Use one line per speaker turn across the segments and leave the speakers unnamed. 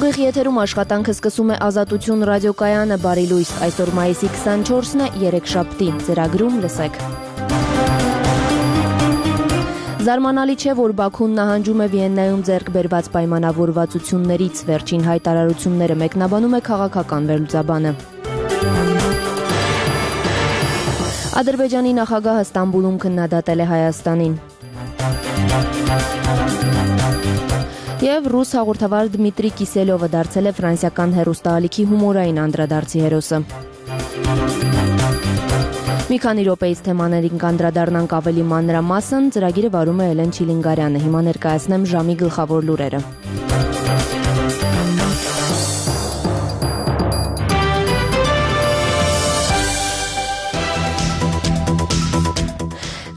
Ուղիղ եթերում աշխատանքը սկսում է Ազատություն ռադիոկայանը, բարի լույս, այսօր մայիսի 24-ն է, երեքշաբթի, ծրագրում լսեք։ Զարմանալի չէ, որ Բաքուն նահանջում է Վիեննայում ձեռք բերված պայմանավորվածություններից, վերջին հայտարարությունները մեկնաբանում է քաղաքական վերլուծաբանը։ Ադրբեջանի նախագահը Ստամբուլում քննադատել է Հայաստանին։ Եվ ռուս հաղորդավար Դմիտրի Կիսելովը դարձել է ֆրանսիական հեռուստաալիքի հումորային անդրադարձի հերոսը։ Մի քանի րոպեից թեմաներին կանդրադառնանք ավելի մանրամասն, ծրագիրը վարում է Էլեն Չիլինգարյանը, հիմա ներկայացնեմ ժամի գլխավոր լուրերը։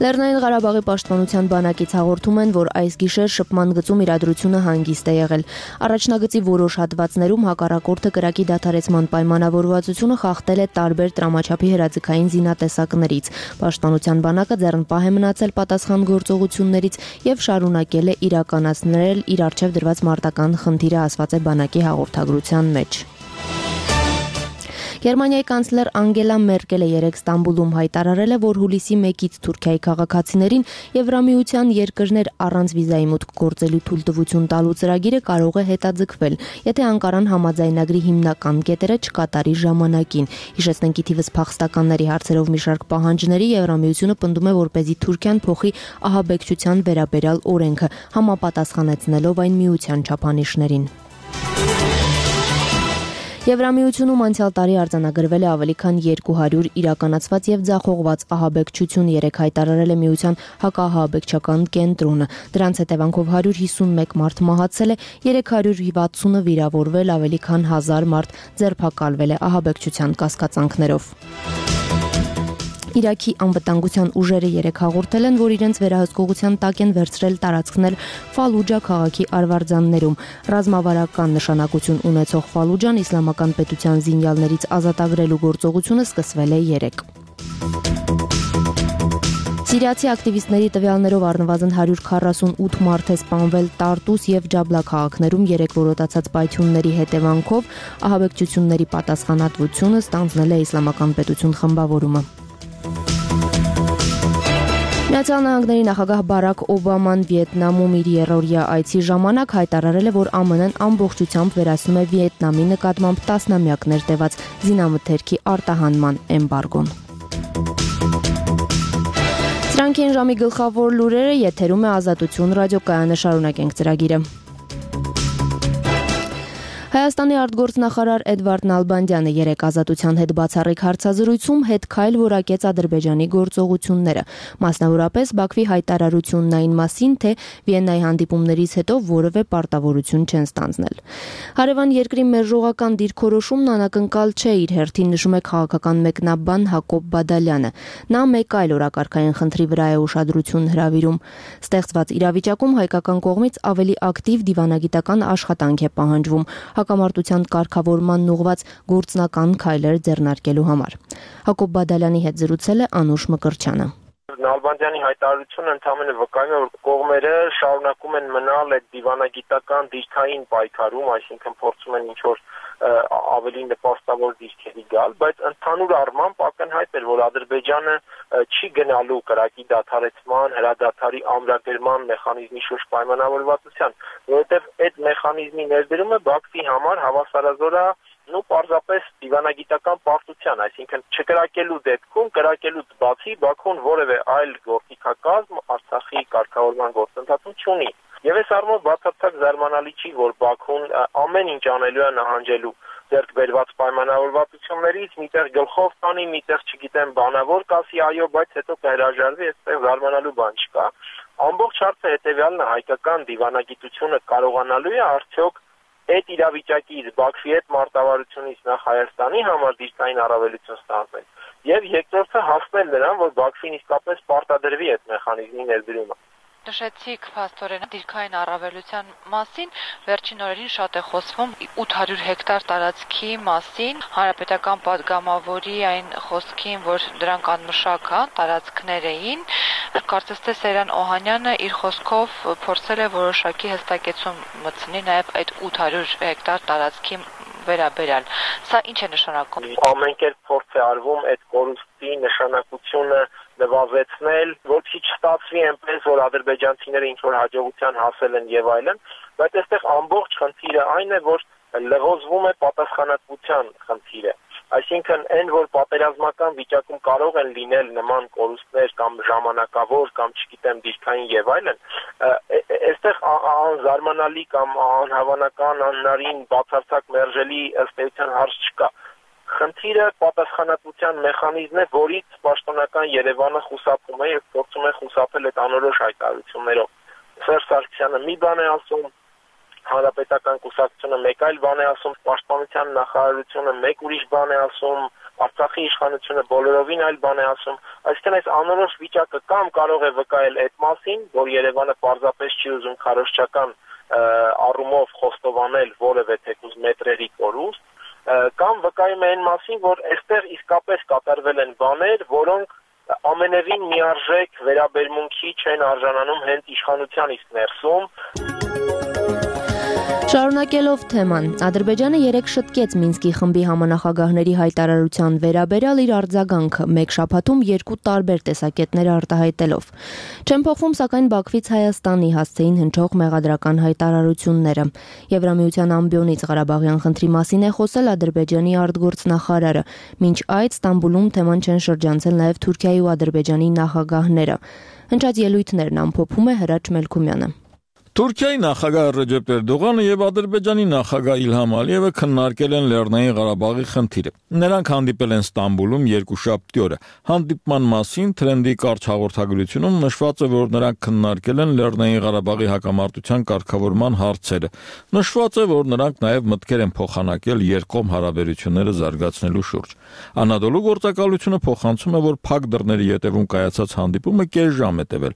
Լեռնային Ղարաբաղի պաշտպանության բանակից հաղորդում են, որ այս գիշեր շփման գծում իրադրությունը հանգիստ է եղել։ Առաջնագծի որոշ հատվածներում հակառակորդը կրակի դադարեցման պայմանավորվածությունը խախտել է տարբեր տրամաչափի հրաձգային զինատեսակներից։ Պաշտպանության բանակը ձեռնպահ է մնացել պատասխան գործողություններից եւ շարունակել է իրականացնել իր առջեւ դրված մարտական խնդիրը, ասված է բանակի հաղորդագրության մեջ։ Գերմանիայի կանցլեր Անգելա Մերկելը երեկ Ստամբուլում հայտարարել է, որ հուլիսի 1-ից Թուրքիայի քաղաքացիներին Եվրամիության երկրներ առանց վիզայի մուտք գործելու թույլտվություն տալու ծրագիրը կարող է հետաձգվել, եթե Անկարան համաձայնագրի հիմնական կետերը չկատարի ժամանակին։ Հիշեցնենք, ի թիվս փախստականների հարցերով մի շարք պահանջների Եվրամիությունը պնդում է, որպեսզի Թուրքիան փոխի ահաբեկչության վերաբերյալ օրենքը, համապատասխանեցնելով այն միության չափանիշներին։ Եվրամիությունում անցյալ տարի արձանագրվել է ավելի քան 200 իրականացված եւ ձախողված ահաբեկչություն, երեք հայտարարել է միության հակաահաբեկչական կենտրոնը։ Դրանց հետևանքով 151 մարդ մահացել է, 360-ը վիրավորվել, ավելի քան 1000 մարդ ձերբակալվել է ահաբեկչության կասկածանքներով։ Իրաքի անվտանգության ուժերը երեկ հաղորդել են, որ իրենց վերահսկողության տակ են վերցրել տարածքներ Ֆալուջա քաղաքի արվարձաններում։ Ռազմավարական նշանակություն ունեցող Ֆալուջան իսլամական պետության զինյալներից ազատագրելու գործողությունը սկսվել է երեկ։ Սիրիացի ակտիվիստների տվյալներով առնվազն 148 մարդ է սպանվել Տարտուս եւ Ջաբլա քաղաքներում երեք որոտացած պայթյունների հետևանքով, ահաբեկչությունների պատասխանատվությունը ստանձնել է իսլամական պետություն խմբավորումը։ Միացյալ Նահանգների նախագահ Բարաք Օբաման Վիետնամում իր երրորդյա այցի ժամանակ հայտարարել է, որ ԱՄՆ-ն ամբողջությամբ վերացնում է Վիետնամի նկատմամբ տասնամյակներ տևած զինամթերքի արտահանման էմբարգոն։ Սրանք են ժամի գլխավոր լուրերը, եթերում է Ազատություն ռադիոկայանը, շարունակենք ծրագիրը։ Հայաստանի արտգործնախարար Էդվարդ Նալբանդյանը երեկ Ազատության հետ բացառիկ հարցազրույցում հետքայլ որակեց Ադրբեջանի գործողությունները, մասնավորապես Բաքվի հայտարարությունն այն մասին, թե Վիեննայի հանդիպումներից հետո որևէ պարտավորություն չեն ստանձնել։ Հարևան երկրի մերժողական դիրքորոշումն անակնկալ չէ, իր հերթին նշում է քաղաքական մեկնաբան Հակոբ Բադալյանը։ Նա մեկ այլ օրակարգային խնդրի վրա է ուշադրություն հրավիրում։ Ստեղծված իրավիճակում հայկական կողմից ավելի ակտիվ դիվանագիտական աշխատանք է պահանջվում հակամարտության կարգավորման ուղղված գործնական քայլեր ձեռնարկելու համար։ Հակոբ Բադալյանի հետ զրուցել է Անուշ Մկրտչյանը։
Նալբանդյանի հայտարարությունը ընդհանրապես վկայում է, որ կողմերը շարունակում են մնալ այդ դիվանագիտական դիրքային պայքարում, այսինքն փորձում են ինչ-որ ավելի նպաստավոր դիրքերի գալ, բայց ընդհանուր առմամբ ակնհայտ էր, որ Ադրբեջանը չի գնալու կրակի դադարեցման, հրադադարի ամրագրման մեխանիզմի շուրջ պայմանավորվածության, որովհետև այդ մեխանիզմի ներդրումը Բաքվի համար հավասարազոր է պարզապես դիվանագիտական պարտության, այսինքն չկրակելու դեպքում, կրակելուց բացի Բաքուն որևէ այլ գործիքակազմ Արցախի կարգավորման գործընթացում չունի։ Եվ այս առումով բացարձակ զարմանալի չի, որ Բաքուն ամեն ինչ անելու է նահանջելու ձեռք բերված պայմանավորվածություններից, միտեղ գլխով տանի, միտեղ չգիտեմ բանավոր կասի այո, բայց հետո կհրաժարվի, այստեղ զարմանալու բան չկա։ Ամբողջ հարցը հետևյալն է, հայկական դիվանագիտությունը կարողանալու է արդյոք այդ իրավիճակից Բաքվի հետ մարտավարությունից նախ Հայաստանի համար դիրքային առավելություն ստանձնել եւ երկրորդը հասնել նրան, որ Բաքվին իսկապես պարտադրվի այդ մեխանիզմի ներդրումը։
Նշեցիք փաստորեն դիրքային առավելության մասին, վերջին օրերին շատ է խոսվում 800 հեկտար տարածքի մասին, հանրապետական падգամավորի այն խոսքին, որ դրանք անմշակ տարածքներ էին, կարծես թե Սերան Օհանյանը իր խոսքով փորձել է որոշակի հստակեցում մտցնի նաև այդ 800 հեկտար տարածքի վերաբերյալ։ Սա ինչ է նշանակում։
Ամեն կերպ փորձ է արվում այդ կորուստի նշանակությունը նվազեցնել, որպեսզի չստացվի այնպես, որ ադրբեջանցիները ինչ-որ հաջողության հասել են եւ այլն, բայց այստեղ ամբողջ խնդիրը այն է, որ լղոզվում է պատասխանատվության խնդիրը։ Այսինքն այն, որ պատերազմական վիճակում կարող են լինել նման կորուստներ կամ ժամանակավոր կամ չգիտեմ դիրքային եւ այլն, այստեղ անզարմանալի կամ անհավանական, անհնարին բացարձակ մերժելի ըստ էության հարց չկա։ Խնդիրը պատասխանատվության մեխանիզմն է, որից պաշտոնական Երևանը խուսափում է եւ փորձում է խուսափել այդ անորոշ հայտարարություններով։ Սերժ Սարգսյանը մի բան է ասում, Հանրապետական կուսակցությունը մեկ այլ բան է ասում, Պաշտպանության նախարարությունը մեկ ուրիշ բան է ասում, Արցախի իշխանությունը բոլորովին այլ բան է ասում։ Այսինքն այս անորոշ վիճակը կամ կարող է վկայել այդ մասին, որ Երևանը պարզապես չի ուզում քարոզչական առումով խոստովանել որևէ թեկուզ մետրերի կորուստ, կամ վկայում է այն մասին, որ այստեղ իսկապես կատարվել են բաներ, որոնք ամենևին միարժեք վերաբերմունքի չեն արժանանում հենց իշխանության իսկ ներսում։
Շարունակելով թեման, Ադրբեջանը երեկ շտկեց Մինսկի խմբի համանախագահների հայտարարության վերաբերյալ իր արձագանքը մեկ շաբաթում երկու տարբեր տեսակետներ արտահայտելով։ Չեն փոխվում, սակայն Բաքվից Հայաստանի հասցեին հնչող մեղադրական հայտարարությունները։ Եվրամիության ամբիոնից Ղարաբաղյան խնդրի մասին է խոսել Ադրբեջանի արտգործնախարարը։ Մինչ այդ Ստամբուլում թեման չեն շրջանցել նաև Թուրքիայի ու Ադրբեջանի նախագահները։ Հնչած ելույթներն ամփոփում է Հրաչ Մելքումյանը։
Թուրքիայի նախագահ Ռեջեփ Էրդողանը եւ Ադրբեջանի նախագահ Իլհամ Ալիևը քննարկել են Լեռնային Ղարաբաղի խնդիրը։ Նրանք հանդիպել են Ստամբուլում երկուշաբթի օրը։ Հանդիպման մասին Թրենդի կարճ հաղորդագրությունում նշված է, որ նրանք քննարկել են Լեռնային Ղարաբաղի հակամարտության կարգավորման հարցերը։ Նշված է, որ նրանք նաեւ մտքեր են փոխանակել երկկողմ հարաբերությունները զարգացնելու շուրջ։ Անադոլու գործակալությունը փոխանցում է, որ փակ դռների ետևում կայացած հանդիպումը կես ժամ է տևել։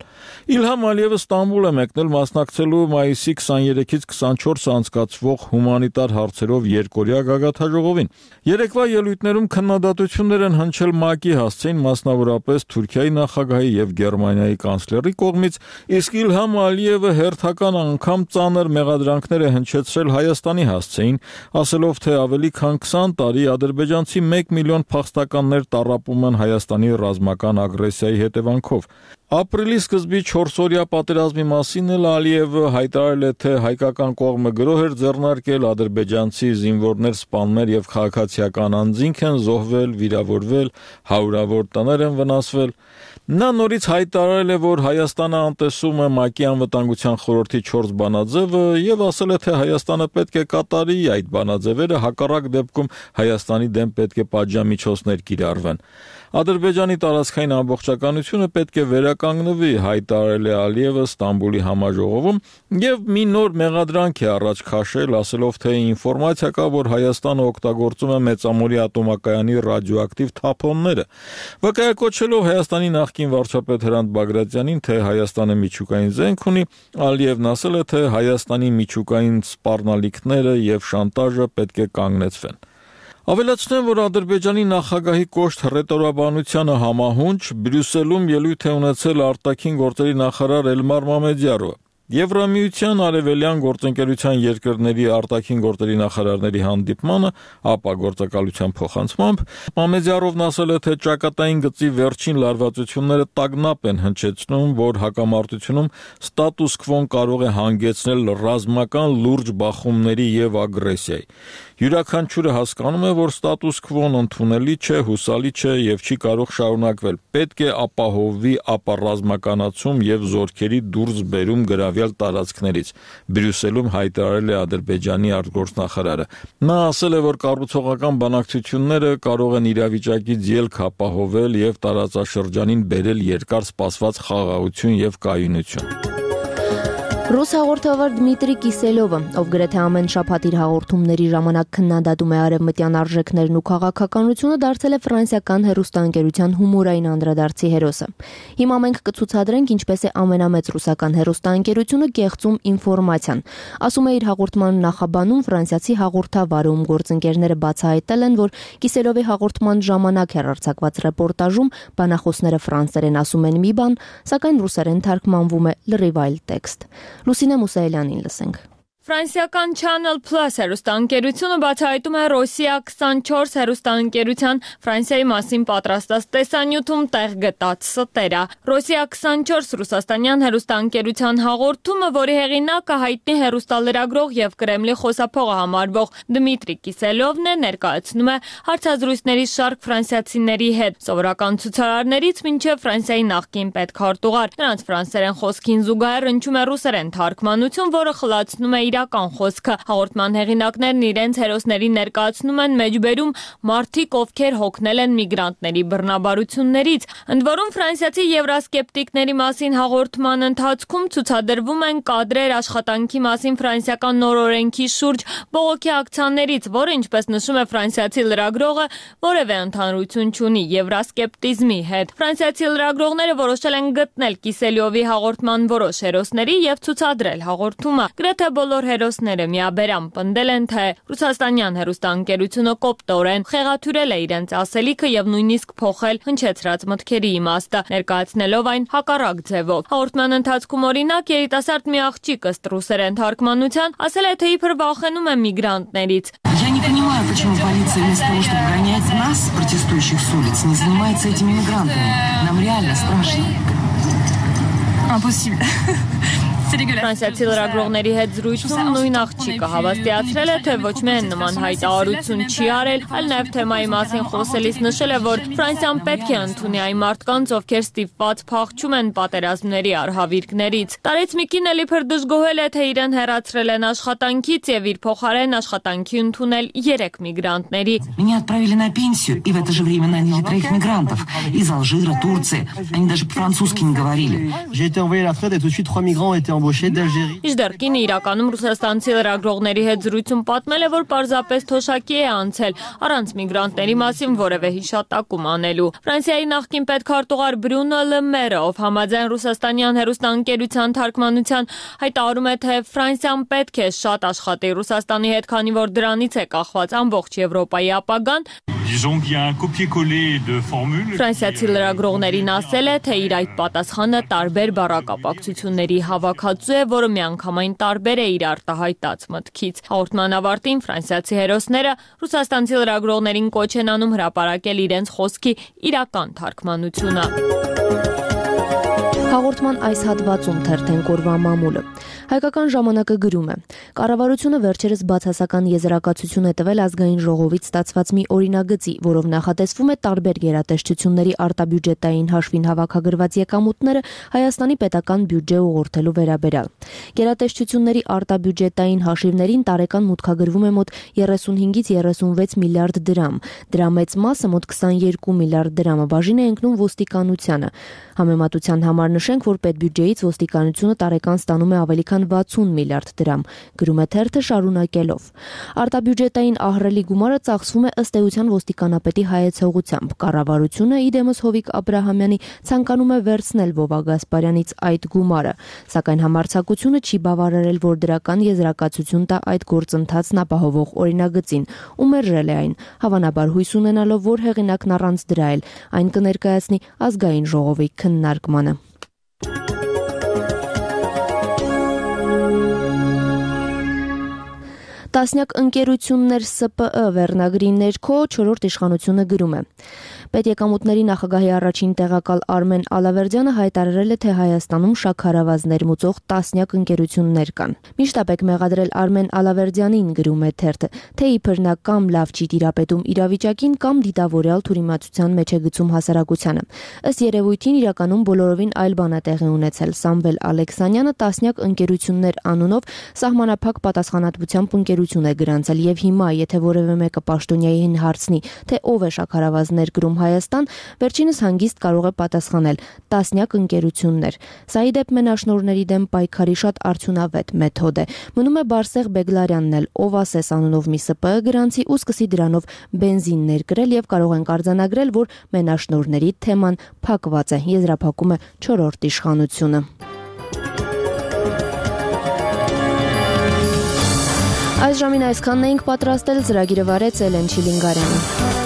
Իլհամ Ալիևը Ստամբուլ է մեկնել մասնակցելու մայիսի 23-ից 24 անցկացվող հումանիտար հարցերով երկօրյա գագաթնաժողովին։ Երեկվա ելույթներում քննադատություններ են հնչել ՄԱԿ-ի հասցեին, մասնավորապես Թուրքիայի նախագահի եւ Գերմանիայի կանցլերի կողմից, իսկ Իլհամ Ալիևը հերթական անգամ ծանր մեղադրանքներ է հնչեցրել Հայաստանի հասցեին, ասելով, թե ավելի քան 20 տարի ադրբեջանցի 1 միլիոն փախստականներ տառապում են Հայաստանի ռազմական ագրեսիայի հետևանքով։ Ապրիլի սկզբի 4-օրյա պատերազմի մասին էլ Ալիևը հայտարարել է, թե հայկական կողմը գրոհ էր ձեռնարկել, ադրբեջանցի զինվորներ, սպաներ եւ քաղաքացիական անձինք են զոհվել, վիրավորվել, հարյուրավոր տներ են վնասվել։ Նա նորից հայտարարել է, որ Հայաստանը անտեսում է ՄԱԿ-ի անվտանգության խորհրդի 4 բանաձևը եւ ասել է, թե Հայաստանը պետք է կատարի այդ բանաձևերը, հակառակ դեպքում Հայաստանի դեմ պետք է պատժամիջոցներ կիրառվեն։ Ադրբեջանի տարածքային ամբողջականությունը պետք է վերականգնվի, հայտարարել է Ալիևը Ստամբուլի համաժողովում եւ մի նոր մեղադրանք է առաջ քաշել, ասելով, թե ինֆորմացիա կա, որ Հայաստանը օգտագործում է Մեծամորի ատոմակայանի ռադիոակտիվ թափոնները։ Վկայակոչելով Հայաստանի նախկին վարչապետ Հրանտ Բագրատյանին, թե Հայաստանը միջուկային զենք ունի, Ալիևն ասել է, թե Հայաստանի միջուկային սպառնալիքները եւ շանտաժը պետք է կանգնեցվեն։ Ավելացնեմ, որ Ադրբեջանի նախագահի կոշտ հռետորաբանությանը համահունչ Բրյուսելում ելույթ է ունեցել արտաքին գործերի նախարար Էլմար Մամեդյարովը։ Եվրամիության արևելյան գործընկերության երկրների արտաքին գործերի նախարարների հանդիպմանը ԱՊԱ գործակալության փոխանցմամբ Մամեդյարովն ասել է, թե ճակատային գծի վերջին լարվածությունները տագնապ են հնչեցնում, որ հակամարտությունում ստատուս քվոն կարող է հանգեցնել ռազմական լուրջ բախումների եւ ագրեսիայի։ Յուրաքանչյուրը հասկանում է, որ ստատուս քվոն ընդունելի չէ, հուսալի չէ եւ չի կարող շարունակվել։ Պետք է ապահովվի ապառազմականացում եւ զորքերի դուրս բերում գրավյալ տարածքներից, Բրյուսելում հայտարարել է Ադրբեջանի արտգործնախարարը։ Նա ասել է, որ կառուցողական բանակցությունները կարող են իրավիճակից ելք ապահովել եւ տարածաշրջանին բերել երկար սպասված խաղաղություն եւ կայունություն։
Ռուս հաղորդավար Դմիտրի Կիսելովը, ով գրեթե ամեն շաբաթ իր հաղորդումների ժամանակ քննադատում է արևմտյան արժեքներն ու քաղաքականությունը, դարձել է ֆրանսիական հեռուստաընկերության հումորային անդրադարձի հերոսը։ Հիմա մենք կցուցադրենք ինչպես է ամենամեծ ռուսական հեռուստաընկերությունը կեղծում ինֆորմացիան։ Ասում է իր հաղորդման նախաբանում ֆրանսիացի հաղորդավարը, ում գործընկերները բացահայտել են, որ Կիսելովի հաղորդման ժամանակ հեռարձակված ռեպորտաժում բանախոսները ֆրանսերեն ասում են մի բան, սակայն ռուսերեն թարգմանվում է լրիվ այլ տեքստ։ Լուսինե Մուսայելյանին լսենք։
Ֆրանսիական Channel Plus հեռուստաընկերությունը բացահայտում է Ռոսիա 24 հեռուստաընկերության Ֆրանսիայի մասին պատրաստած տեսանյութում տեղ գտած ստերը։ Ռոսիա 24 ռուսաստանյան հեռուստաընկերության հաղորդումը, որի հեղինակը հայտնի հեռուստալրագրող եւ Կրեմլի խոսափողը համարվող Դմիտրի Կիսելովն է, ներկայացնում է հարցազրույցների շարք ֆրանսիացիների հետ, սովորական ցուցարարներից մինչև Ֆրանսիայի նախկին պետքարտուղար։ Նրանց ֆրանսերեն խոսքին զուգահեռ հնչում է ռուսերեն թարգմանություն, որը խլացնում է իրական խոսքը։ Հաղորդման հեղինակներն իրենց հերոսների ներկայացնում են մեջբերում մարդիկ, ովքեր հոգնել են միգրանտների բռնաբարություններից։ Ընդ որում ֆրանսիացի եվրասկեպտիկների մասին հաղորդման ընթացքում ցուցադրվում են կադրեր աշխատանքի մասին ֆրանսիական նոր օրենքի շուրջ բողոքի ակցիաներից, որը, ինչպես նշում է ֆրանսիացի լրագրողը, որևէ ընդհանրություն չունի եվրասկեպտիզմի հետ։ Ֆրանսիացի լրագրողները որոշել են գտնել Կիսելովի հաղորդման որոշ հերոսների եւ ցուցադրել հաղորդումը։ Գրեթե բոլոր հերոսները միաբերամ պնդել են, թե ռուսաստանյան հեռուստաընկերությունը կոպտորեն խեղաթյուրել է իրենց ասելիքը եւ նույնիսկ փոխել հնչեցրած մտքերի իմաստը, ներկայացնելով այն հակառակ ձևով։ Հաղորդման ընթացքում օրինակ երիտասարդ մի աղջիկ ըստ ռուսերեն թարգմանության ասել է, թե իբր վախենում է միգրանտներից։
Я не понимаю, почему полиция вместо того, чтобы гонять нас, протестующих с улиц, не занимается этими мигрантами. Нам реально страшно. Impossible.
Ֆրանսիացի լրագրողների հետ զրույցում նույն աղջիկը հավաստիացրել է, թե ոչ միայն նման հայտարարություն չի արել, այլ նաև թեմայի մասին խոսելիս նշել է, որ Ֆրանսիան պետք է ընդունի այն մարդկանց, ովքեր ստիպված փախչում են պատերազմների արհավիրքներից։ Տարեց մի կին էլ իբր դժգոհել է, թե իրեն հեռացրել են աշխատանքից եւ իր փոխարեն աշխատանքի ընդունել 3 միգրանտների։
Меня отправили на пенсию, и в это же время наняли 3 мигрантов из Алжира, Турции. Они даже по-французски не говорили.
J'ai été envoyé à la retraite et tout de suite 3 migrants ont été embauchés d'Algérie.
Իժդեռ կինը իրականում ռուսաստանցի լրագրողների հետ զրույցում պատմել է, որ պարզապես թոշակի է անցել առանց միգրանտների մասին որևէ հիշատակում անելու։ Ֆրանսիայի նախկին պետքարտուղար Բրունո Լը Մերը, ով համաձայն ռուսաստանյան հեռուստաընկերության թարգմանության հայտարարում է, թե Ֆրանսիան պետք է շատ աշխատի Ռուսաստանի հետ, քանի որ դրանից է կախված ամբողջ Եվրոպայի ապագան։ Ֆրանսիացի լրագրողներին ասել է, թե իր այդ պատասխանը տարբեր բառակապակցությունների հավաքածու է, որը միանգամայն տարբեր է իր արտահայտած մտքից։ Հաղորդման ավարտին ֆրանսիացի հերոսները ռուսաստանցի լրագրողներին կոչ են անում հրապարակել իրենց խոսքի իրական թարգմանությունը։
Հաղորդման այս հատվածում թերթենք օրվա մամուլը։ Հայկական ժամանակը գրում է. Կառավարությունը վերջերս բացասական եզրակացություն է տվել ազգային ժողովից ստացված մի օրինագծի, որով նախատեսվում է տարբեր գերատեսչությունների արտաբյուջետային հաշվին հավաքագրված եկամուտները Հայաստանի պետական բյուջե ուղղորդելու վերաբերյալ։ Գերատեսչությունների արտաբյուջետային հաշիվներին տարեկան մուտքագրվում է մոտ 35-ից 36 միլիարդ դրամ։ Դրա մեծ մասը մոտ 22 միլիարդ դրամը բաժին է ընկնում ոստիկանությանը։ Համեմատության համար նշենք, որ պետբյուջեից ոստիկանությունը տարեկան ստանում է ավելի քան 60 միլիարդ դրամ, գրում է թերթը շարունակելով։ Արտաբյուջետային ահռելի գումարը ծախսվում է ըստ էության ոստիկանապետի հայեցողությամբ։ Կառավարությունը իդեմս Հովիկ Աբրահամյանի ցանկանում է վերցնել Վովա Գասպարյանից այդ գումարը, սակայն համարձակությունը չի բավարարել, որ դրական եզրակացություն տա այդ գործընթացն ապահովող օրինագծին, ու մերժել է այն, հավանաբար հույս ունենալով, որ հեղինակն առանց դրա էլ այն կներկայացնի ազգային ժողովի քննարկմանը։ Տասնյակ ընկերություններ ՍՊԸ վերնագրի ներքո 4-րդ իշխանությունը գրում է. Պետեկամուտների նախագահի առաջին տեղակալ Արմեն Ալավերդյանը հայտարարել է, թե Հայաստանում շաքարավազ ներմուծող տասնյակ ընկերություններ կան։ Միշտապեք մեղադրել Արմեն Ալավերդյանին, գրում է թերթը, թե իբր նա կամ լավ չի տիրապետում իրավիճակին, կամ դիտավորյալ թյուրիմացության մեջ է գցում հասարակությանը։ Ըստ երևույթին իրականում բոլորովին այլ բան է տեղի ունեցել։ Սամվել Ալեքսանյանը տասնյակ ընկերություններ անունով սահմանափակ պատասխանատվությամբ ընկերություն է գրանցել, եւ հիմա, եթե որևէ մեկը պաշտոնյային հարցնի, թե ով է շաքարավազ ներկրում Հայաստան, վերջինս հանգիստ կարող է պատասխանել տասնյակ ընկերություններ։ Սա ի դեպ մենաշնորհների դեմ պայքարի շատ արդյունավետ մեթոդ է։ Մնում է Բարսեղ Բեգլարյանն էլ, ով ասես անունով մի ՍՊԸ գրանցի ու սկսի դրանով բենզին ներկրել եւ կարող ենք արձանագրել, որ մենաշնորհների թեման փակված է, եզրափակում է 4-րդ իշխանությունը։ Այս ժամին այսքանն էինք պատրաստել, ծրագիրը վարեց Էլեն Չիլինգարյանը։